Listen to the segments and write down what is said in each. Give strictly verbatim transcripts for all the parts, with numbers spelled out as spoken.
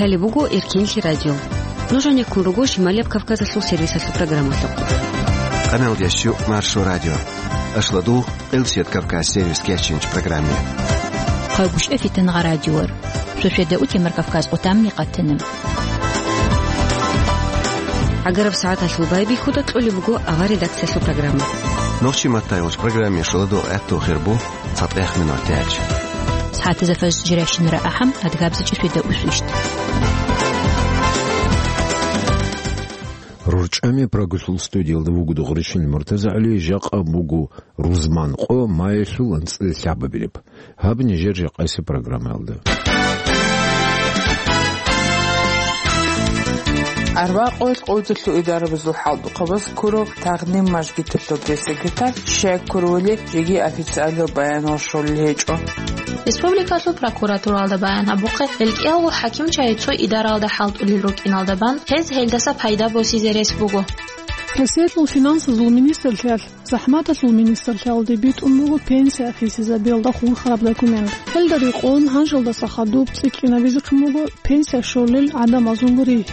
Лъалеб буго Эркенлъи радио. Нуж гӀенеккун руго Шималияб Кавказалъул сервисалъул программалъухъ. Къаналдияс чу Маршо радио. Ашладул, Элсият Кавказ сервис кечинч программе. Хъайгуща фитангъа радиор. Шошеда утемар Кавказ отам микъатана. ГӀагараб сагӀаталъул байбихьуда кьолеб буго авар редакциялъул программа. Нохчи маттайгъулч программе шоладо гӀатту хирбу. ЦатӀехъ минуталъ. СагӀатазда фажр жиращинара ахӀам, адгабзичӀи шведа усвищт. РорчӀами Прагалъул студиялда вуго Дугъричил МуртазагӀали, жакъа буго рузман къо, майилъул анцӀила лъабабилеб. Гьаб нижер жакъасеб программаялда. Арбакъоялъ къойдалъул идарабазул хӀалтӀухъабаз ккурав Тагъним мажгиталъул пресс-секретарь щай ккурулел жеги официалиял баянал щолел гьечӀо. Республикалъул прокуратуралда баян гьабухъе, гьел кӀиялго хӀакимчагӀи цо идаралда хӀалтӀулел рукӀиналда бан, гьез гьелдаса пайда босизе рес буго. Россиялъул финансазул министрлъиялъ ЗахӀматалъул министрлъиялде битӀун буго пенсия хисизабиялда хурхараб документ. Гьелда рекъон гьанжелдаса хадуб цӀикӀкӀинабизехъин буго пенсия щолел гӀадамазул ригь.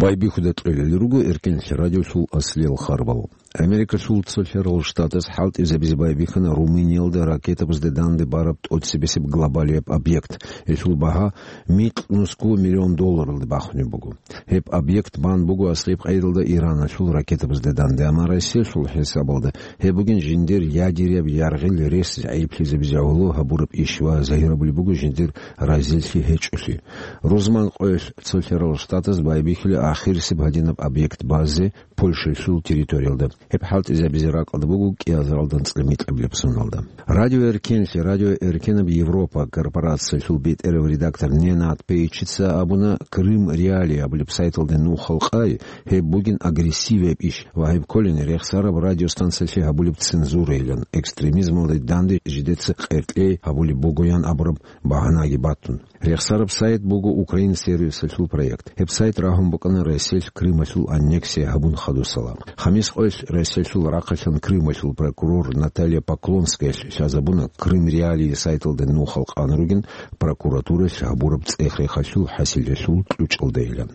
Байбихьуда кьолел руго Эркенлъи радиолъул аслиял харбал. Америкалъул цолъарал штатаз хӀалтӀизабизе байбихьана Румыниялда ракетабазде данде бараб тӀоцебесеб глобалияб объект. Гьелъул багьа микьнусго миллион долларалде бахунеб буго. Гьеб объект бан буго аскӀоб къайдалда Ираналъул ракетабазде данде, амма Россиялъул хӀисабалда гьеб бугин жиндир ядеряб яргъил рес гӀайиблъизабизе гӀоло гьабураб иш ва загьирабулеб буго жиндир разилъи гьечӀолъи. Рузман къоялъ цолъарал штатаз байбихьула ахирисеб гьадинаб объект базе Польшалъул территориялда. Гьеб хӀалтӀизабизе ракӀалда буго кӀиазаралда анцӀила микьабилеб соналда. Радио Эркенлъи, Радио Эркенаб Европа корпорациялъул бетӀерав редактор Ненад Пейчица абуна, Крым Реалии абулеб сайталда нухал къай, гьеб бугин агрессивияб иш ва гьеб кколин рехсараб радиостанциялъе гьабулеб цензурайилан, экстремизмалда данде жидеца къеркьей гьабулеб бугоян абураб багьанаги батун. Рехсараб сайт буго Украин сервисалъул проект. Гьеб сайт рагьун букӀана Россиялъ Крымалъул аннексия гьабун хадусала. Хамис къоялъ Россиялъул рахъалъан Крымалъул прокурор Наталья Поклонскаялъ лъазабуна Крым Реалии сайталда нухал къан ругин прокуратуралъ гьабураб цӀех-рехалъул хӀасилалъул кьучӀалдайилан.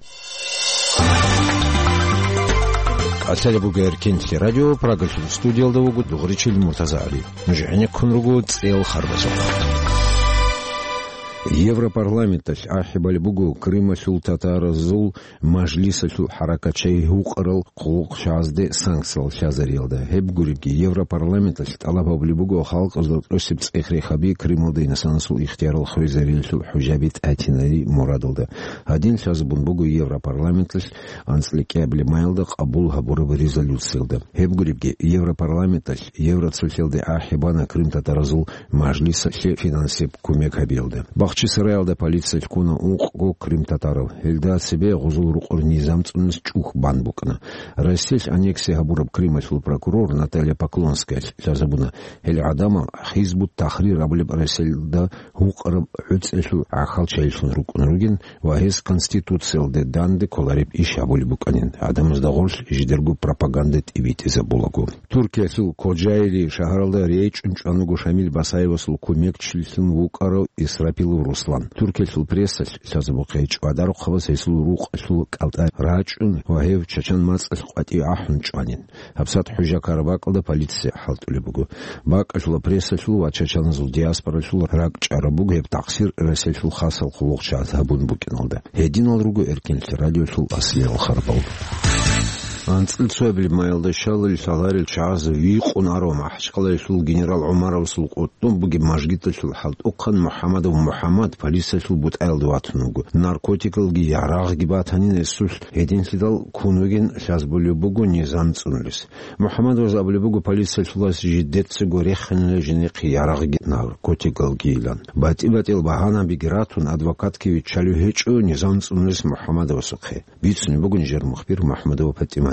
Лъалеб буго Эркенлъи радио, Прагалъул студиялда вуго Дугъричил МуртазагӀали. Нуж гӀенеккун руго цӀел харбазухъ. Европарламенталъ ахӀи балеб буго Крымалъул татаразул мажлисалъул хӀаракатчагӀи гьукъарал хъулухъчагӀазде санкциялъ лъазариялда. Гьеб гуребги, Европарламенталъ тӀалаб гьабулеб буго халкъазда тӀосеб цӀех-рехаби Крымалда инсанасул ихтиярал хвезариялъул хӀужаби тӀатинари мурадалда. Гьадин лъазабун буго Европарламенталъ анцӀила кӀиабилеб майилда къабул гьабураб резолюциялда. Гьеб гуребги, Европарламенталъ Евроцолъиялде ахӀи бана крымтатаразул мажлисалъе финансияб кумек гьабиялда. Бахчисараялда полициялъ ккуна ункъго крымтатарав. Гьелда цебе гъузул рукъор низам цӀунулес чӀухь бан букӀана. Россиялъ аннексия гьабураб Крымалъул прокурор Наталья Поклонскаялъ лъазабуна, гьел гӀадамал Хизбут-Тахрир абулеб Россиялда гьукъараб гӀуцӀиялъул гӀахьалчагӀилъун рукӀун ругин ва гьез Конституциялде данде кколареб иш гьабулеб букӀанин, гӀадамазда гъорлъ жидерго пропаганда тӀибитӀизабулаго. Туркиялъул Кожайли шагьаралда речӀчӀун чӀван вуго Шамил Басаевасул кумекчилъун вукӀарав Исрапилов Руслан. Туркиялъул прессалъ лъазабухъе, ЧӀвадарухъабаз гьесул рукъалъул кӀалтӀа рачӀун ва гьев чачан мацӀалъ къватӀиве ахӀун чӀванин. ГьабсагӀат хӀужа ккараб бакӀалда полиция хӀалтӀулеб буго. БакӀалъула прессалъул ва чачаназул диаспоралъул ракӀчӀараб буго гьеб такъсир Россиялъул хасал хъулухъчагӀаз гьабун букӀиналда. Гьединал руго Эркенлъи радиолъул аслиял харбал. АнцӀил цоябилеб майилда щалил лъаларел чагӀаз вихъун арав МахӀачхъалаялъул генерал ГӀумаровасул къотӀун бугеб мажгиталъул хӀалтӀухъан МухӀаммадов МухӀаммад полициялъул бутӀаялде ватун вуго. Наркотикалги ярагъги батанин гьесулъ, гьединлъидал ккун вугин лъазабулеб буго низам цӀунулес. МухӀаммадоваз абулеб буго, полициялъулас жидецаго рехинила жинехъе ярагъги наркотикалгийилан. БатӀи-батӀиял багьанабиги ратун, адвокатги виччалев гьечӀо низам цӀунулес МухӀаммадовасухъе. Бицунеб буго нижер мухбир МухӀаммадова ПатӀимат.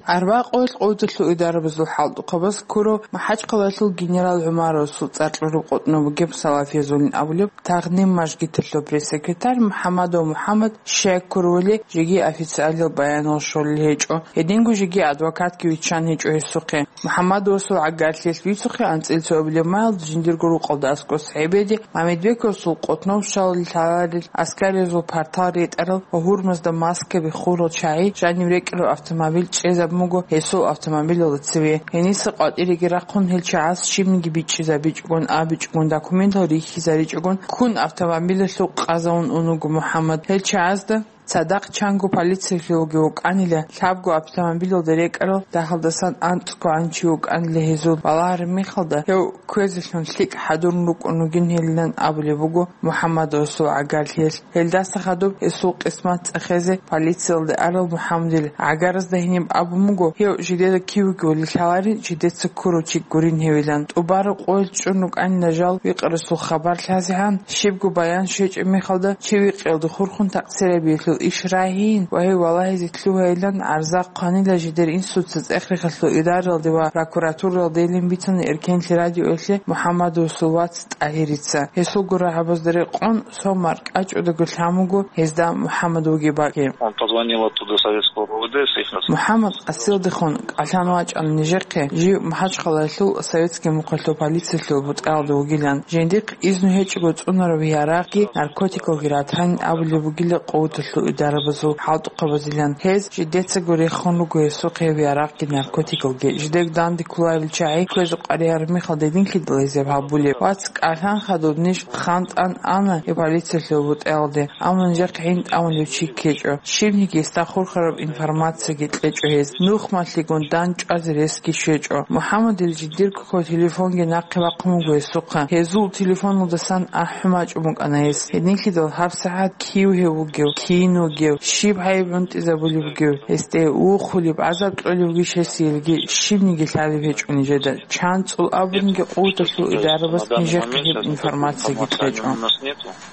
Арбакъоялъ къуваталъул идарабазул хӀалтӀухъабаз ккурав МахӀачхъалаялъул генерал ГӀумаровасул цӀар кьураб къотӀнов бугеб Салафиязулин абулеб Тагъним мажгиталъул пресс-секретарь МухӀаммадов МухӀаммад щай ккурав вали жеги официалил баянал щолел гьечӀо, гьединго жеги адвокатги виччан гьечӀо гьесухъе. МухӀаммадовасул гӀагарлъиялъ бицухъе анцӀила цо абилеб маялда жиндирго рукъалда аскӀос гӀебеде Мамедбековасул къотӀнов щалел лъаларел аскариязул партал ретӀарал ва гьурмазда маскаби хурал чагӀи жанив рекӀарав автомобиль чӀезабун буго гьесул автомобилалда цеве. Гьениса къватӀиреги рахъун гьел чагӀаз щибниги бичӀчӀизабичӀогун, абичӀогун, документал рихьизаричӀогун, ккун автомобилалъул къазавун ун вуго МухӀаммад. Гьел чагӀазда цадахъ чанго полициялъулги вукӀанила, лъабго автомобилалда рекӀарал дагьалдасан анцӀго гӀанчи вукӀанила гьезул балагьараб мехалда, гьев кквезелъун лъикӀ хӀадурун рукӀун ругин гьелилан абулеб буго МухӀаммадовасул гӀагарлъиялъ. Гьелдаса хадуб гьесул къисмат цӀехезе полициялде арал МухӀаммадил гӀагаразда гьениб абун буго, гьев жидеда кивги вали лъаларин, жидеца ккурав чи гурин гьевилан. ТӀубараб къоялъ чӀун рукӀанила жал викъарасул хабар лъазегӀан, щибго баян щвечӀеб мехалда чи викъиялда хурхун такъсирабиялъул иш рагьин ва гьев валагьизе лъугьайилан гӀарза хъванила жидер инсуца цӀех-рехалъул идаралде ва прокуратуралдейилан бицана эркенлъи радиоялъе МухӀаммадовасул вац ТӀагьирица. Гьесул гурагьабазда рекъон, сомар кӀачӀудаго лъан буго гьезда МухӀаммад вугеб бакӀи. Он позвонил оттуда советского РОВД с их рас- МухӀаммад къасилдехун кӀалъан вачӀана нижехъе, жив МахӀачхъалаялъул советский мухъалъул полициялъул бутӀаялда вугилан. Жиндихъ изну гьечӀого цӀунараб ярагъги наркотикалги ратанин абулеб бугила къуваталъул идарабазул хӀалтӀухъабазилан. Гьез жидецаго рехун руго гьесухъе гьеб ярагъги наркотикалги. Жидег данде кколарел чагӀи кквезе къваригӀараб мехалда гьединлъидал гьезаб гьабулеб. Вац, кӀалъан хадуб ниж хантӀан ана гьеб полициялъул бутӀаялде, амма нижехъ гӀин тӀамулев чи ккечӀо. Щибниги гьесда хурхараб информацияги кьечӀо гьез. Нухмалъигун дандчӀвазе ресги щвечӀо. МухӀаммадил жиндирго телефонги нахъе бахъун буго гьесухъа. Гьезул телефоналдасан ахӀун бачӀун букӀана гьес. Гьединлъидал гьабсагӀат кив гьев вугев, кин вугев, щиб гьайиб гӀунтӀизабулеб бугев, гьесде ухулеб, гӀазаб кьолеб бугищ гьесиялги, щибниги лъалеб гьечӀо нижеда. ЧанцӀул абунги къуваталъул идарабаз нижехъе гьеб информацияги кьечӀо.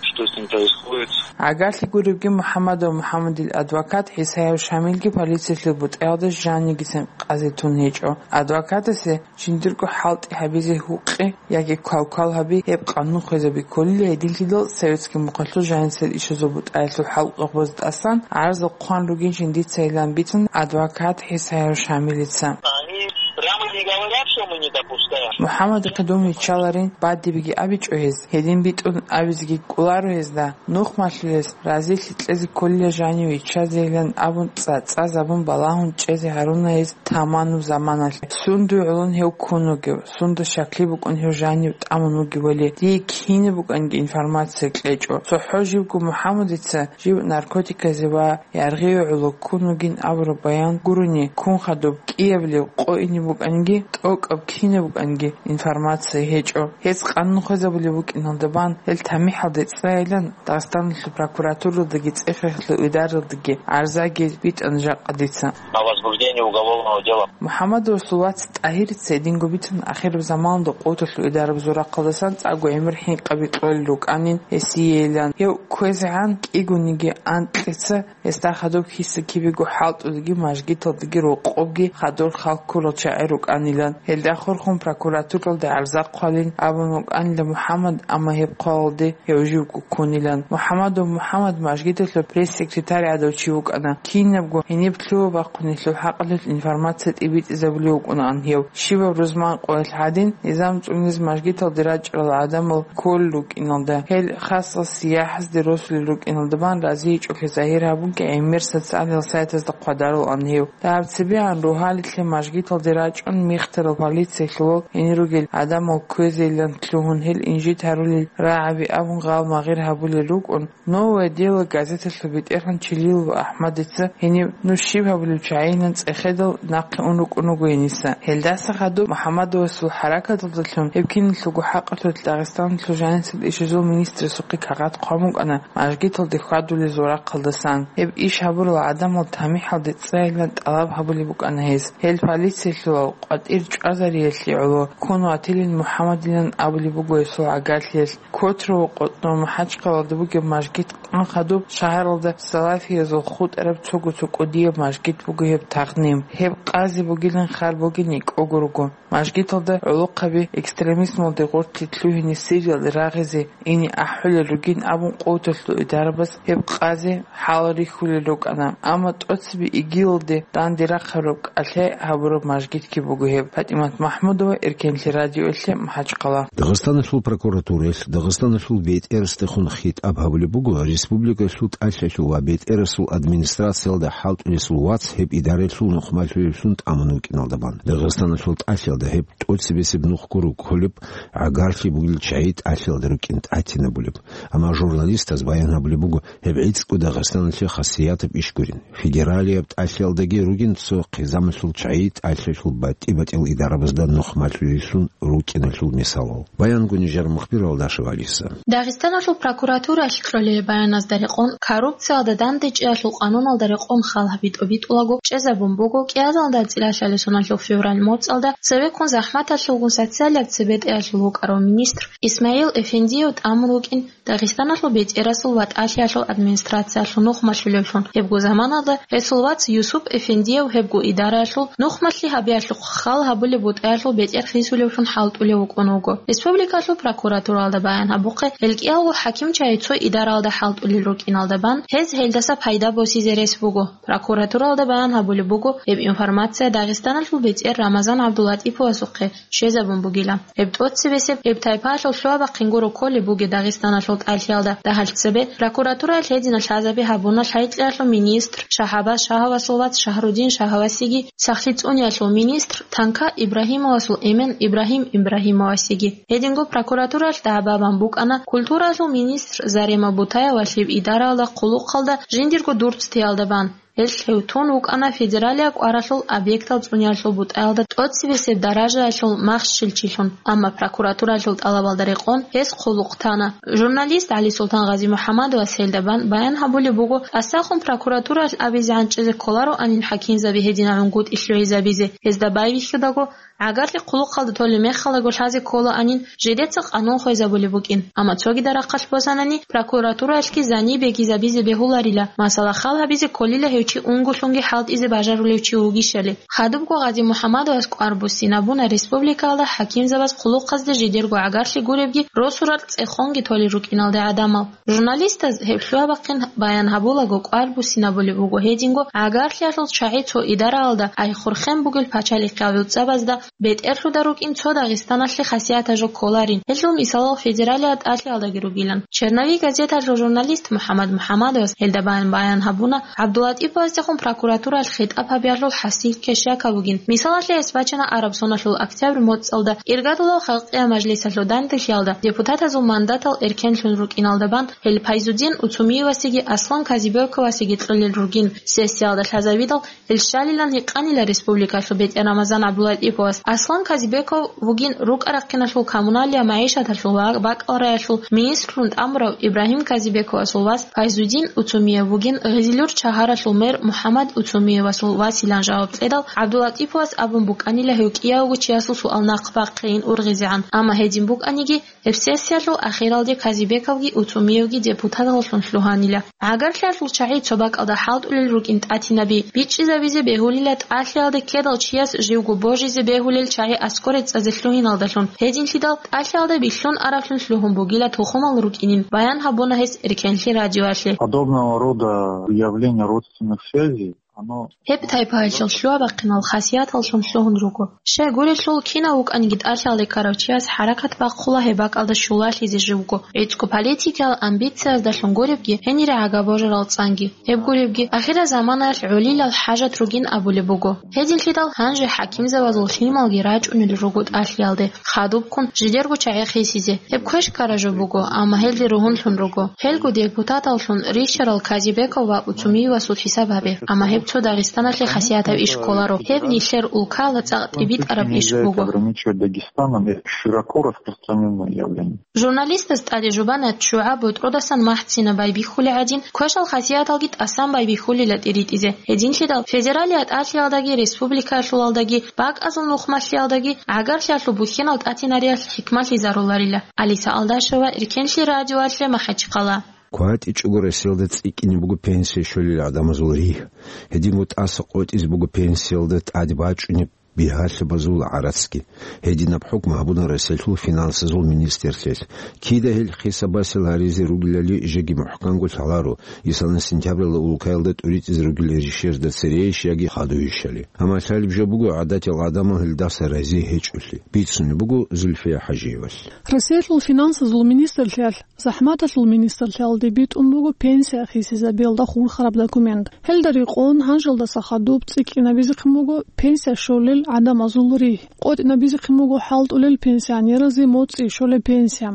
Что с ним происходит? ГӀагарлъи гуребги МухӀаммадов МухӀаммадил адвокат ГӀисаев Шамилги полициялъул бутӀаялда жанивгицин къазе тун гьечӀо. Адвокатасе жиндирго хӀалтӀи гьабизе гьукъи яги квалквал гьаби гьеб къанун хвезаби кколила гьединлъидал советский мухъалъул жанисел ишазул бутӀаялъул хӀалтӀухъабазда тӀасан гӀарзал хъван ругинчӀин дицайилан бицун адвокат ГӀисаев Шамилица. Они прямо не говорят, что мы не допускаем. МухӀаммадихъе дун виччаларин бадибиги абичӀо гьез, гьедин битӀун абизеги кӀоларо гьезда. Нухмалъулес разилъи кьезе кколила жанив виччазейилан абун цӀа-цӀазабун балагьун чӀезе гьаруна гьез таманаб заманалъ. Сундуй гӀолон гьев ккун вугев, сунда щаклъи букӀун гьев жанив тӀамун вугевали, дие кинаб букӀанги информация кьечӀо. ЦохӀо живго МухӀаммадица жив наркотиказе ва яргъиве гӀоло ккун вугин абураб баян гурони, ккун хадуб кӀиабилеб къо ине букӀанги, тӀокӀаб кинаб букӀанги информация гьечӀо. Гьез къанун хвезабулеб букӀиналда бан, гьел тамихӀалде цӀайилан Дагъистаналъул прокуратуралдаги цӀех-рехалъул идаралдаги гӀарзаги битӀана жакъа дица. О возбуждении уголовного дела. МухӀаммадовасул вац ТӀагьирица гьединго бицун ахираб заманалда къуваталъул идарабазул рахъалдасан цӀакъго гӀемер хӀинкъаби кьолел рукӀанин гьесиейилан. Гьев кквезегӀан кӀигониги анкьица гьесда хадуб киса-кибего хӀалтӀулги мажгиталдаги рокъобги хадур хал ккурал чагӀи рукӀанилан. Гьелда хурхун прокуратуралда гӀарза хъвалин абун вукӀанила МухӀаммад, амма гьеб хъвалалде гьев живго ккунилан. МухӀаммадов МухӀаммад мажгиталъул пресс-секретарь гӀадав чи вукӀана. Кинабго гьениб лъугьа-бахъун гьелъул хӀакъалъулъ информация тӀибитӀизабулев вукӀунаан гьев. Щибаб рузман къоялъ гьадин, низам цӀуниз мажгиталде рачӀарал гӀадамал кколел рукӀиналда, гьел хасал сияхӀазде росулел рукӀиналда бан разийичӀолъи загьир гьабунги гӀемер социальный сайтазда хъвадарулаан гьев. Дагьаб цебегӀан рогьалилъе мажгиталде рачӀун мехтарал полициялъул гьенир ругел гӀадамал кквезейилан лъугьун гьел инжит гьарулел рагӀаби абун гъал магъир гьабулел рукӀун, «Новое дело» газеталъул бетӀергьан Чилилов АхӀмадица гьенив нуж щиб гьабулев чагӀинан цӀехедал нахъе ун рукӀун вуго гьениса. Гьелдаса хадуб МухӀаммадовасул хӀаракаталдалъун гьеб киналъулго хӀакъалъулъ Дагъистаналъул жанисел ишазул министрасухъе кагъат хъван букӀана мажгиталде хьвадулезул рахъалдасан. Гьеб иш гьабурал гӀадамал тамихӀалде цӀайилан тӀалаб гьабулеб букӀана гьез. Гьел полициялъулал къватӀир чӀвазариялъе гӀоло ккун ватилин МухӀаммадилан абулеб буго гьесул гӀагарлъиялъ. Котрово къотӀнов МахӀачхъалада бугеб мажгит Хадуб шагьаралда салафиязул хутӀараб цого-цо кӀудияб мажгит буго гьеб тагъним. Гьеб къази бугилан хал бугин кӀого руго. Мажгиталда гӀолохъаби экстремизмалде гъорлъе лъугьине Сириялде рагъизе ине ахӀулел ругин абун, къоталъул идарабаз гьеб къази хӀалал рихьулел рукӀана. Амма тӀоцебе ИГИЛалде данде рахъараб кӀалъай гьабураб мажгитги буго гьеб. ПатӀимат МахӀмудова, Эркенлъи радиоялъе, МахӀачхъала. Дагъистаналъул прокуратураялъ Дагъистаналъул бетӀерасдехун хитӀаб гьабулеб буго республикалъул тӀалъиялъул ва бетӀерасул администрациялда хӀалтӀулесул вац гьеб идараялъул нухмалъулевлъун тӀамун вукӀиналда бан. Дагъистаналъул тӀалъиялда гьеб тӀоцебесеб нухго рукколеб, гӀагарлъи бугел чагӀи тӀалъиялда рукӀин тӀатинабулеб. Амма журналистаз баян гьабулеб буго гьеб гӀицӀго Дагъистаналъе хасиятаб иш гурин. Федералияб тӀалъиялдаги ругин цо хъизамалъул чагӀи тӀалъиялъул батӀи-батӀиял идарабазда нухмалъулеллъун рукӀиналъул мисалал. Баянгу нижер мухбир Алдашев Алиса. Дагъистаналъул прокуратураялъ кьолеб баяназда рекъон, коррупциялда дандечӀеялъул къануналда рекъон хал гьаби тӀобитӀулаго чӀезабун буго кӀиазалда цӀилалъали соналъул февраль моцӀалда цевеккун захӀматалъулгун социалияб цебетӀеялъул вукӀарав министр Исмаил Эфендиев тӀамун вукӀин Дагъистаналъул бетӀерасул ва тӀалъиялъул администрациялъул нухмалъулевлъун. Гьебго заманалда гьесул вац Юсуп Эфендиев гьебго идараялъул нухмалъи гьабиялъухъ хал гьабулеб бутӀаялъул бетӀер хисулевлъун хӀалтӀулев вукӀун вуго. Республикалъул прокуратуралда баян гьабухъе, гьел кӀиялго хӀакимчагӀи цо идараялда хӀалтӀулел рукӀиналда бан, гьез гьелдаса пайда босизе рес буго. Прокуратуралда баян гьабулеб буго, гьеб информация Дагъистаналъул бетӀер Рамазан ГӀабдулатӀиповасухъе щвезабун бугила. Гьеб тӀоцебесеб гьеб тайпаялъул лъугьа-бахъин гуро кколеб бугеб Дагъистаналъул тӀалъиялда. Дагьал цебе прокуратураялъ гьединал лъазаби гьабуна лъайкьиялъул министр Шагьабаз Шагьавасул вац Шагьрудин Шагьавасиги, сахлъи цӀуниялъул министр Танка Ибрагьимовасул эмен Ибрагьим Ибрагьимовасиги. Гьединго прокуратураялъ дагӀба бан букӀана культураялъул министр Зарема Бутаевалъеб идараялда хъулухъалда жиндирго дурцтиялда бан. Гьелъ гьев тун вукӀана федералияб кӀваралъул объектал цӀуниялъул бутӀаялда тӀоцебесеб даражаялъул махщелчилъун, амма прокуратураялъул тӀалабалда рекъон гьес хъулухъ тана. Журналист ГӀалисултан Гъазимухьамадовас гьелда бан баян гьабулеб буго, тӀасахун прокуратураялъ абизе гӀанчӀизе кколароанин хӀакимзаби гьединал гӀунгутӀи лъугӀизабизе, гьезда байбихьудаго, гӀагарлъи хъулухъалда толеб мехалаго лъазе кколаанин, жидеца къанун хвезабулеб букӀин. Амма цогидал рахъалъ босанани, прокуратураялъги зани бегизабизе бегьуларила, масала, хал гьабизе кколила гьев чи унголъунги хӀалтӀизе бажарулев чи вугищали. Хадубго Гъазимухьамадовас кӀвар буссинабуна республикаялда хӀакимзабаз хъулухъазде жидерго гӀагарлъи гуребги росу-ракь цӀехонги толел рукӀиналде гӀадамал. Журналистаз гьеб лъугьа-бахъин баян гьабулаго кӀвар буссинабулеб буго гьединго гӀагарлъиялъул чагӀи цо идараялда, ай хурхен бугел пачалихъиял гӀуцӀабазда, бетӀерлъуда рукӀин цо Дагъистаналъе хасиятаб жо кколарин, гьелъул мисалал федералияб тӀалъиялдаги ругилан. «Черновик» газеталъул журналист МухӀаммад МухӀаммадовас гьелда баян, баян гьабуна ГӀабдулатӀиповасдехун прокуратураялъ хитӀаб гьабиялъул хӀасил кешяка бугин. Мисалалъе, гьес бачана араб соналъул октябрь моцӀалда иргадулав халкъиял мажлисалъул данделъиялда депутатазул мандатал эркенлъун рукӀиналда бан, гьел Пайзудин Уцумиевасиги Аслан Казибековасиги кьолел ругин, сессиялда лъазавидал, гьел щалилан гьикъанила республикалъул бетӀер Рамазан ГӀабдулатӀиповас. Аслан Казибеков вугин рукӀа-рахъиналъул, коммуналия-магӀишаталъул ва бакӀалдаялъул министрлъун тӀамурав Ибрагьим Казибековасул вас, Пайзудин Уцумиев вугин Гъизилюрт шагьаралъул мэр МухӀаммад Уцумиевасул василан жаваб кьедал, ГӀабдулатӀиповас абун букӀанила гьев кӀиявго чиясул суал нахъ бахъейин ургъизегӀан. Амма гьедин букӀаниги, гьеб сессиялъул ахиралде Казибековги Уцумиевги депутаталлъун лъугьанила. ГӀагарлъиялъул чагӀи цо бакӀалда хӀалтӀулел рукӀин тӀатинаби бичӀчӀизабизе бегьулила тӀалъиялда ккедал чияс живго божизе бегьулел чагӀи аскӀоре цӀазе лъугьиналдалъун, гьединлъидал тӀалъиялда билълъун аравлъун лъугьун бугила тухумал рукӀинин, баян гьабуна гьес Эркенлъи радиоялъе. Подобного рода явления родственных связей, оно... Гьеб тайпаялъул лъугьа-бахъинал хасияталлъун лъугьун руго. Щай гурелъул, кинав вукӀаниги тӀалъиялде ккарав чияс хӀаракат бахъула гьеб бакӀалда щулалъизе живго, гӀицӀго политикиял амбицияздалъун гуребги, гьенире гӀага божарал цӀанги. Гьеб гуребги, ахирзаманаялъ гӀолилал хӀажат ругин абулеб буго. Гьединлъидал гьанже хӀакимзабазул лъималги рачӀунел руго тӀалъиялде, хадубккун жидерго чагӀи хисизе. Гьеб квеш ккараб жо буго, амма гьелде ругьунлъун руго. Гьелго депутаталлъун рищарал Казибеков ва Уцумиевасул хӀисаб гьабе, амма гьеб цо Дагъистаналъе хасиятаб иш кколаро, гьеб нилъер улкала цӀакъ тӀибитӀараб иш буго. Ограничивать Дагестаном и широко распространённое явление. Журналистаз тӀаде жубана ччугӀа ботӀродасан махӀцина байбихьулеб гӀадин, квешал хасияталги тӀасан байбихьулила тӀиритӀизе. Гьединлъидал федералияб тӀалъиялдаги республикаялъулалдаги, бакӀазул нухмалъиялдаги гӀагарлъиялъул бухьинал тӀатинариялъ хӀикмалъизаруларила. Алиса Алдашева, Эркенлъи радиоялъе, МахӀачхъала. КватӀичӀого Россиялда цӀикӀкӀине буго пенсия щолел гӀадамазул ригь. Гьединго тӀаса къотӀизе буго пенсиялда тӀаде бачӀунеб бигьалъабазул гӀарацги. Гьединаб хӀукму гьабуна Россиялъул финансазул министрлъиялъ. Кида гьел хисабасел гьаризе ругелали жеги мухӀканго лъаларо, исана сентябралда улкаялда тӀуритӀизе ругел ришерда церейищ яги хадуйищали. Амма лъалеб жо буго гӀадатиял гӀадамал гьелдаса рази гьечӀолъи, бицунеб буго Зульфия ХӀажиевалъ. Россиялъул финансазул министрлъиялъ ЗахӀматалъул министрлъиялде битӀун буго пенсия хисизабиялда хурхараб документ. Гьелда рекъон гьанжалдаса хадуб цӀикӀкӀинабизехъин буго пенсия щолел гӀадамазул ригь, къотӀинабизехъин буго хӀалтӀулел пенсионеразе моцӀи щолеб пенсия.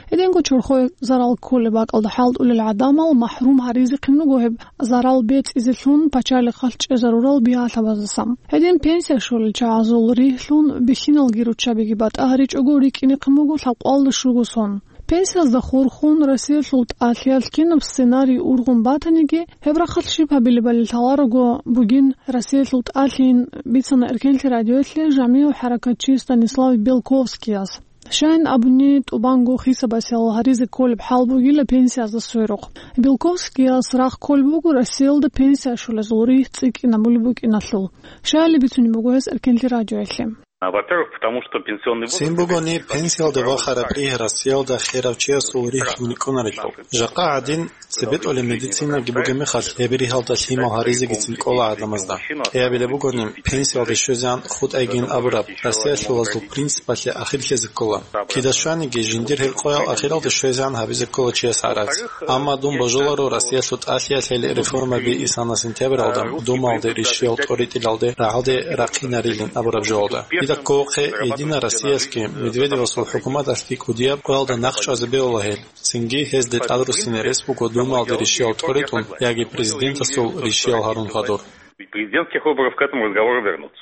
Гьединго чорхое зарал кколеб бакӀалда хӀалтӀулел гӀадамал махӀрум гьаризехъин буго гьеб зарал бецӀизелъун пачалихъалъ чӀезарурал бигьалъабаздаса. Гьедин пенсия щолел чагӀазул ригьлъун бихьиналги руччабиги батӀа гьаричӀого рикӀкӀинехъин буго лъабкъоялда щуго сон. Пенсиязда хурхун Россиялъул тӀалъиялъ кинаб сценарий ургъун батаниги, гьеб рахъалъ щиб гьабилебали лъаларого бугин Россиялъул тӀалъийин, бицана Эркенлъи радиоялъе жамигӀав хӀаракатчи Станислав Белковскияс. Щайин абуни, тӀубанго хисабасел гьаризе кколеб хӀал бугила пенсиязда сверухъ. Белковскияс рагъ кколеб буго Россиялда пенсия щолезул ригь цӀикӀкӀинабулеб букӀиналъул. Щайили бицунеб буго гьес Эркенлъи радиоялъе. А, во-первых, потому что пенсионный возраст... Цин бугони, пенсиялде вахараб ригь Россиялда херав чиясул ригьлъун рикӀкӀунарелъул. Жакъа гӀадин, цебетӀолеб медицинаги бугеб мехалъ, гьеб ригьалда лъимал гьаризегицин кӀола гӀадамазда. КӀиабилеб бугони, пенсиялде щвезегӀан хутӀайгин абураб Россиялъулазул принципалъе ахирлъизе ккола. Кида щваниги, жиндир гьел къоял ахиралде щвезегӀан гьабизе ккола чияс гӀарац. Амма дун божуларо Россиялъул тӀалъиялъ гьел реформаби исана сентябралда Думалде ришиял тӀоритӀилалде рагӀалде рахъинарилин абураб жоялда. Дида кколохъе, Единая Россиялъги Медведевасул хӀукуматалъги кӀудияб къоялда нахъчӀвазе бегьула гьел. Цинги гьезде тӀадруссине рес буго Думалде ришиял тӀоритӀун яги президентасул ришиял гьарун хадур. Президентских выборов к этому разговору вернуться.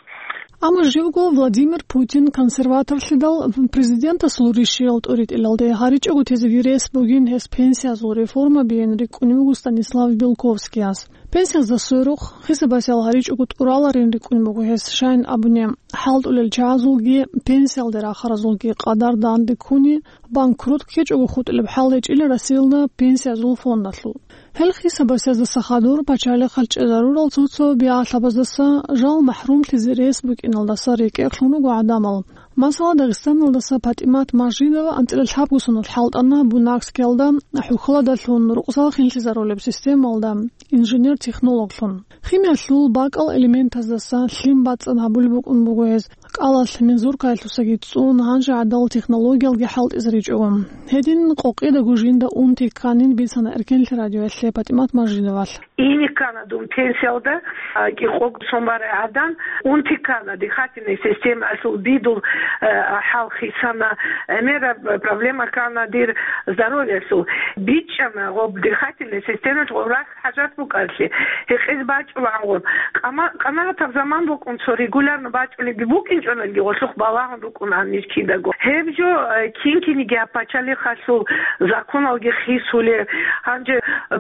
Амма живго Владимир Путин консерваторлъидал президентасул ришиял тӀоритӀилалде гьаричӀого тезеги рес бугин гьес пенсиязул реформабиин рикӀкӀунев вуго Станислав Белковскияс. Пенсиязда сверухъ, хисабасел гьаричӀого тӀураларин рикӀкӀунеб буго гьес, щайин абуни, хӀалтӀулел чагӀазулги, пенсиялде рахаразулги къадар данде ккуни, банкрот ккечӀого хутӀулеб хӀал гьечӀила Россиялда пенсиязул фондалъул. Гьел хисабасездаса хадур пачалихъалъ чӀезарурал цо-цо бигьалъабаздаса жал махӀрумлъизе рес букӀиналдаса рекӀекълъун руго гӀадамал. Масала, Дагъистаналдаса ПатӀимат Мажидова анцӀила лъабго соналъ хӀалтӀана Бунакскиялда хӀухьладалъун рукъзал хинлъизарулеб системалда инженер-технологлъун. Химиялъул бакӀал элементаздаса лъим бацӀцӀад гьабулеб букӀун буго гьез, кӀалалъ мензуркаялъусаги цӀун, гьанже гӀадал технологиялги хӀалтӀизе ричӀого. Гьедин къокъидаго жинда унти кканин бицана Эркенлъи радиоялъе ПатӀимат Мажидовалъ. Ине ккана дун пенсиялда, а, кӀикъого сон барай гӀадан, унти ккана дихательный системаялъул бидул, а, хӀал хисана, гӀемераб проблема ккана дир здоровьялъул. БичӀчӀана гъоб дихательный системаялъ гъоб рахь хӀажат букӀараблъи, гьекъез бачӀулаангъун. Къама-, къанагӀатаб заман букӀун, цо регулярно бачӀунебги букӀинчӀониги, гъолъухъ балагьун рукӀун гьанир кидаго. Гьеб жо, э, кин-киниги гьаб пачалихъалъул законалги хисулеб. Гьанже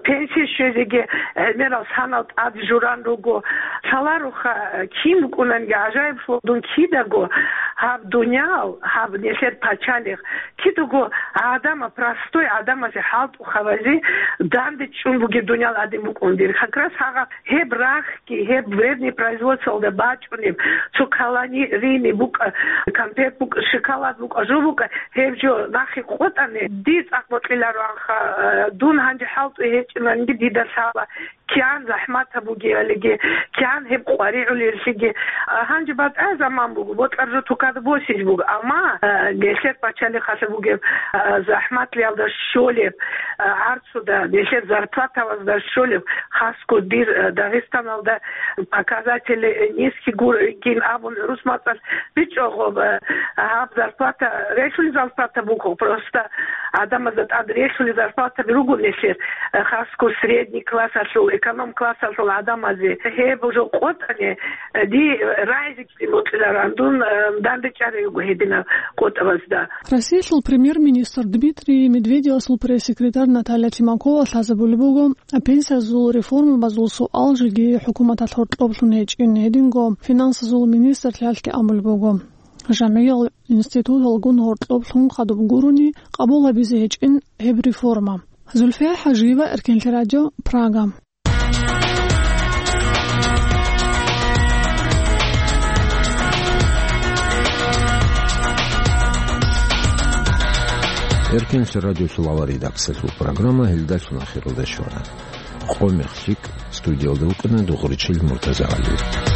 пенсие щвезеги гӀемерал санал тӀад журан руго. Лъаларуха, э, кин букӀунанги гӀажаиблъун дун кидаго гьаб дуниял, гьаб нилъер пачалихъ, кидаго гӀадамал, простой гӀадамазе, хӀалтӀухъабазе данде чӀун бугеб дуниял гӀадин букӀун дир. Как раз гьагъаб гьеб рахьги, гьеб вредный производствоялда бачӀунеб, цо калорийный букӀа, конфет букӀа, шоколад букӀа, жо букӀа, гьеб жо нахъе къотӀани, дир цӀакъ бокьилароанха, э, дун гьанже хӀалтӀуе гьечӀинанги дида лъала, кигӀан захӀмат гьабугеялиги, кигӀан гьеб къваригӀулеллъиги. А, гьанже батӀа заман буго, бокьараб жо тукада босизе буго, амма, э, нилъер пачалихъалъа бугеб, э, захӀматлъиялда щолеб, э, гӀарц Цуда нилъер зарплатабазда щолеб, хасго дир, э, Дагъистаналда показатели, э, низкий гур-, гин абун рус мацӀалъ бичӀчӀо гъоб, э, гьаб зарплата, релълъули зарплата буго, просто гӀадамазда тӀад релълъули зарплатаби руго нилъер, э, хасго средний классалъул, эконом классалъул гӀадамазе. Гьеб жо къотӀани, э, ди, э, рагӀизе Бокьиларан дун, э, данде чӀарай руго гьединаб къотӀабазда. Россиялъул премьер-министр Дмитрий Медведевасул пресс-секретарь Наталья Тимакова лъазабулеб буго, пенсиязул реформабазул суал жеги хӀукуматалъ гьоркьоблъун гьечӀин, гьединго финансазул министрлъиялъги абулеб буго, жамгӀиял институталгун гьоркьоблъун хадуб гурони къабул гьабизе гьечӀин гьеб реформа. Зульфия Хажиева, Эркенлъи радио, Прага. Эркенлъи радиолъул авар редакциялъул программа гьелдалъун ахиралде щвана. Къо мехлъи студиялда вукӀана Дугъричил Муртазагьалиев.